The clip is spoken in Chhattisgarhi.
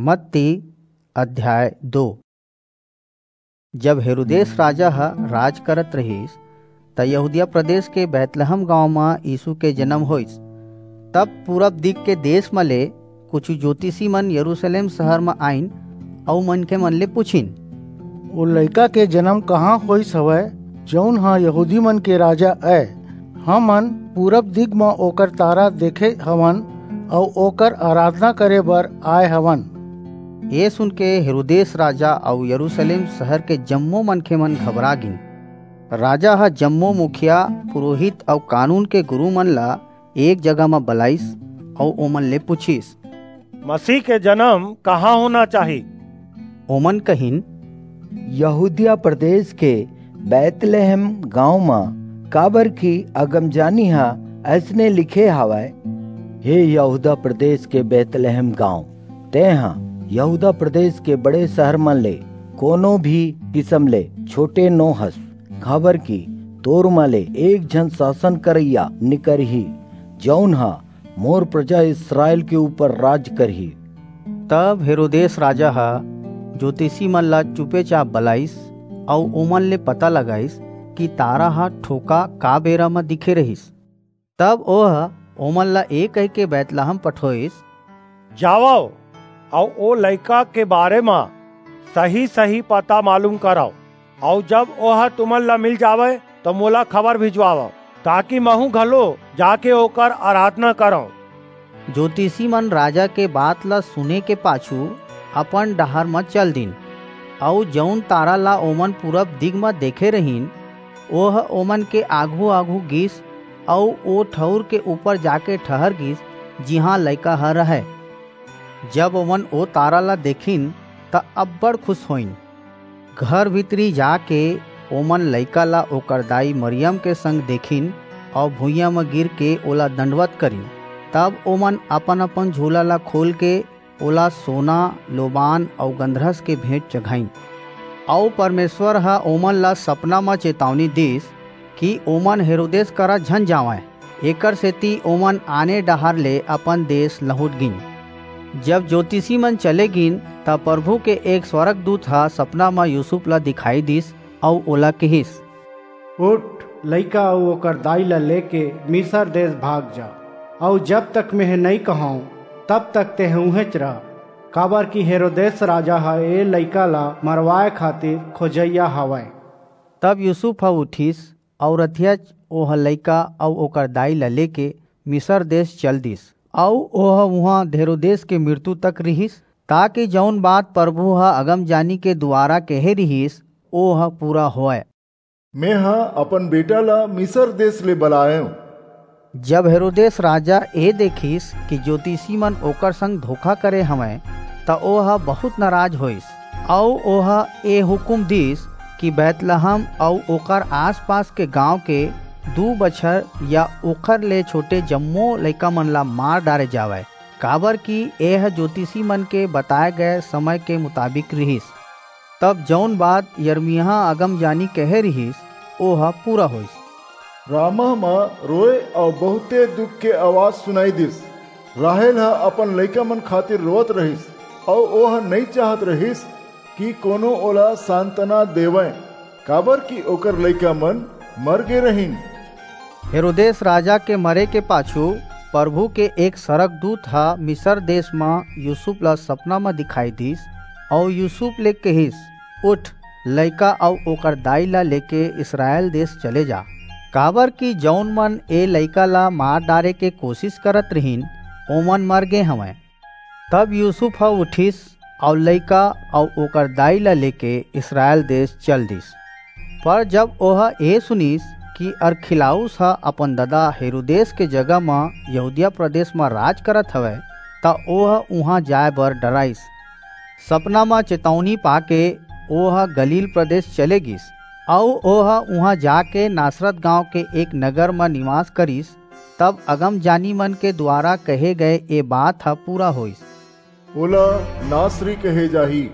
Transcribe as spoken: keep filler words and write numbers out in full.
मत्ती अध्याय दो। जब हेरोदेस राजा ह राज करत रहिस, त यहूदिया प्रदेश के बैतलहम गांव म यीशु के जन्म होइस। तब पूरब दिग के देश म ले कुछ ज्योतिषी मन यरूशलेम शहर म आइन अऊ मनखे मन ले पूछिन, "ओ लइका के जन्म कहाँ होइस हवय, जऊन ह यहूदी मन के राजा अय? हमन पूरब दिग म ओकर तारा देखे हवन अऊ ओकर आराधना करे बर आय हवन।" ये सुन के हेरोदेस राजा अऊ यरूशलेम शहर के जम्मो मनखे मन घबरा गिन। राजा ह जम्मो मुखिया, पुरोहित अऊ कानून के गुरू मन ला एक जगह म बलाइस अऊ ओमन ले पूछिस, "मसीह के जन्म कहाँ होना चाही?" ओमन कहिन, "यहूदिया प्रदेश के बैतलहम गांव म, काबर कि अगमजानी ह अइसने लिखे हावय, हे यहूदा प्रदेश के बैतलहम गांव, तेंह यहूदा प्रदेश के बड़े शहर मन ले कोनो भी किसम ले छोटे नो हस, काबर कि तोर म ले एक झन शासन करइया निकरही, जऊन ह मोर प्रजा इसरायल के ऊपर राज करही।" तब हेरोदेस राजा ह ज्योतिषी मन ला चुपेचाप बलाइस अऊ ओमन ले पता लगाइस कि तारा ह ठोका का बेरा म दिखे रहिस। तब ओह ओमन ला ए कहिके बैतलहम पठोइस, "जावव अऊ ओ लइका के बारे म सही-सही पता मालूम करव, अऊ जब ओह तुमन ला मिल जावय, त मोला खबर भिजवावव, ताकि महूं घलो जाके ओकर आराधना करंव।" ज्योतिषी मन राजा के बात ला सुने के पाछू अपन डहार म चल दीन, अऊ जऊन तारा ला ओमन पूरब दिग म देखे रहिन, ओह ओमन के आघू-आघू गीस अऊ ओ ठऊर के ऊपर जाके ठहर गीस, जिहां लइका ह रहय। जब ओमन ओ तारा ला देखिन, त अब्बड़ खुस होइन। घर भीतरी जाके ओमन लइका ला ओकर दाई मरियम के संग देखिन अऊ भुइयां म गिर के ओला दंडवत करिन। तब ओमन अपन-अपन झोला ला खोल के ओला सोना, लोबान अऊ गंधरस के भेंट चघाइन। अऊ परमेसर ह ओमन ला सपना म चेतावनी दीस कि ओमन हेरोदेस करा झन जावंय। एकर सेती ओमन आने डहार ले अपन देस लहुंट गीन। जब ज्योतिषी मन चले गीन, त परभू के एक स्वरगदूत ह सपना म यूसुफ ला दिखाई दीस अऊ ओला किहिस, "उठ, लइका अऊ ओकर दाई ला लेके मिसर देस भाग जा, अऊ जब तक मेंह नइं कहंव, तब तक तेंह उहेंच रह, काबरकि हेरोदेस राजा ह ए लइका ला मरवाय खातिर खोजइया हवय।" तब यूसुफ ह उठिस अऊ रतिहाच ओह लइका अऊ ओकर दाई ला लेके मिसर देस चल दीस, अऊ ओह उहां हेरोदेस के मिरतू तक रिहिस, ताकि जऊन बात परभू ह अगमजानी के दुवारा कहे रिहिस, ओह पूरा होवय। "मेंह अपन बेटा ला मिसर देस ले बलायेंव।" जब हेरोदेस राजा ए देखिस कि ज्योतिषी मन ओकर संग धोखा करे हवंय, त ओह बहुंत नराज होईस, अऊ ओह ए हुकूम दीस कि बैतलहम अऊ ओकर आस-पास के गांव के दू बछर या ओखर ले छोटे जम्मो लइका मन ला मार डारे जावय, काबरकि एह ज्योतिषी मन के बताय गय समय के मुताबिक रिहिस। तब जऊन बात यिर्मयाह अगमजानी कहे रिहिस, ओह पूरा होईस। रामाह म रोय अऊ बहुंते दुख के अवाज सुनाई दीस। राहेल ह अपन लइका मन खातिर रोवत रिहिस, अऊ ओह नइं चाहत रिहिस कि कोनो ओला सांतना देवय, काबरकि ओकर लइका मन मर गे रहिन। हेरोदेस राजा के मरे के पाछू परभू के एक सरगदूत ह मिसर देस म यूसुफ ला सपना म दिखाई दीस, अऊ यूसुफ ले किहिस, "उठ, लइका अऊ ओकर दाई ला लेके इसरायल देस चले जा, काबरकि जऊन मन ए लइका ला मार डारे के कोसिस करत रिहिन, ओमन मर गे हवंय।" तब यूसुफ ह उठिस अऊ लइका अऊ ओकर दाई ला लेके इसरायल देस चल दीस। पर जब ओह ए सुनिस कि अरखिलाउस ह अपन ददा हेरोदेस के जगह म यहूदिया प्रदेस म राज करत हवय, त ओह उहां जाय बर डराईस। सपना म चेतौनी पाके ओह गलील प्रदेस चले गीस, अऊ ओह उहां जाके नासरत गांव के एक नगर म निवास करिस। तब अगमजानी मन के दुवारा कहे गय ए बात ह पूरा होईस। ओला नासरी कहे जाही,